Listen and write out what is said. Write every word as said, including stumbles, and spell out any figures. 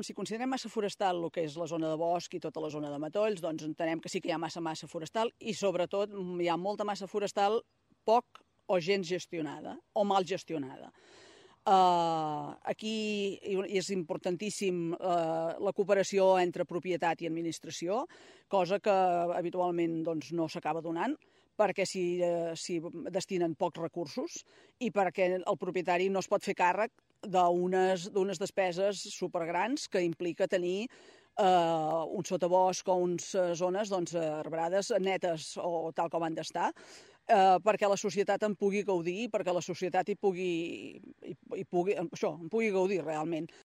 Si considerem massa forestal el que és la zona de bosc i tota la zona de matolls, doncs entenem que sí que hi ha massa massa forestal i sobretot hi ha molta massa forestal poc o gens gestionada o mal gestionada. Uh, aquí és importantíssim uh, la cooperació entre propietat i administració, cosa que habitualment doncs, no s'acaba donant, perquè s'hi uh, si destinen pocs recursos i perquè el propietari no es pot fer càrrec d'unes d'unes despeses supergrans que implica tenir eh, un sotabosc o unes zones doncs, arbrades netes o tal com han d'estar, eh, perquè la societat en pugui gaudir, perquè la societat hi pugui, hi, hi pugui, això, en pugui gaudir realment.